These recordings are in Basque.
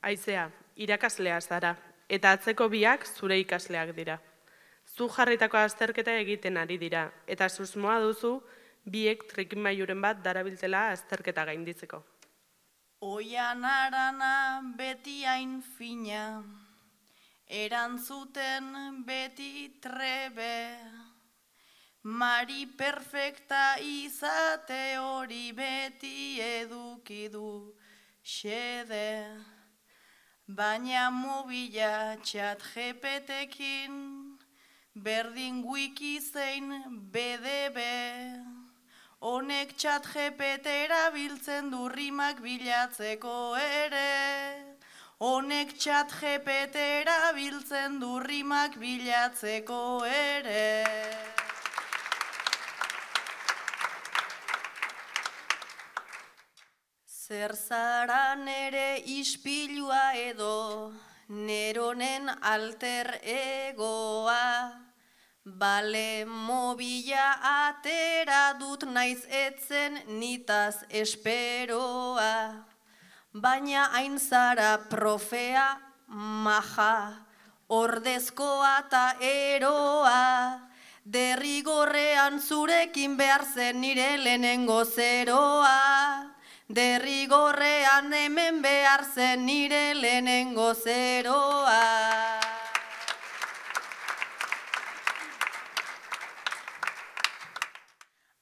Aizea, irakaslea zara, eta atzeko biak zure ikasleak dira. Zu jarritako azterketa egiten ari dira, eta susmoa duzu biek trikimailuren bat darabiltela azterketa gainditzeko. Oian arana beti hain fina, erantzuten beti trebe, mari perfekta izate hori beti eduki du xede, baina mobila txat GPT-ekin, berdin wiki zein BDB, honek txat GPT erabiltzen du rimak bilatzeko ere. Honek txat GPT erabiltzen du rimak bilatzeko ere. Zer zara nere ispilua edo, neronen alter egoa, bale mobila atera dut naiz etzen nitaz esperoa, baina hain zara profea maja, ordezkoa ta eroa, derrigorrean zurekin behar zen nire lehenengo zeroa, derrigorrean hemen behar zen nire lehenengo zeroa.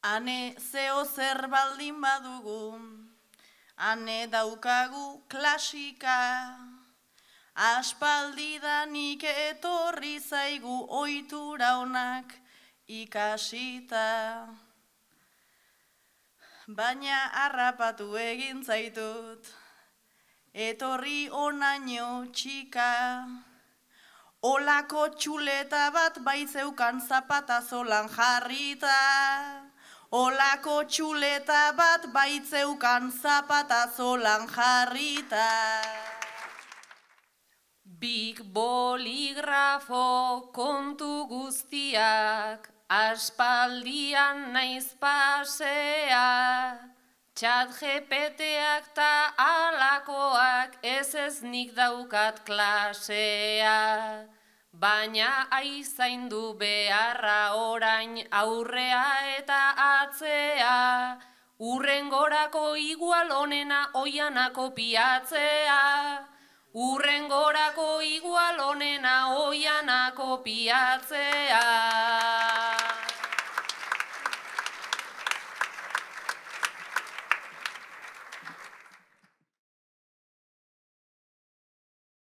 Hane zeo zer baldin badugu, hane daukagu klasika, aspaldidanik etorri zaigu ohitura onak ikasita. Baina harrapatu egin zaitut, etorri onaino txika, olako txuleta bat baizeukan zapatazolan jarrita. Olako txuleta bat baitzeukan zapatazolan jarrita. Big boligrafo kontu guztiak, aspaldian naiz pasea, txat GPT-ak ta alakoak ez nik daukat klasea. Baina aizaindu beharra orain aurrea eta atzea, urrengorako igual onena oiana kopiatzea, urrengorako igual onena oiana kopiatzea.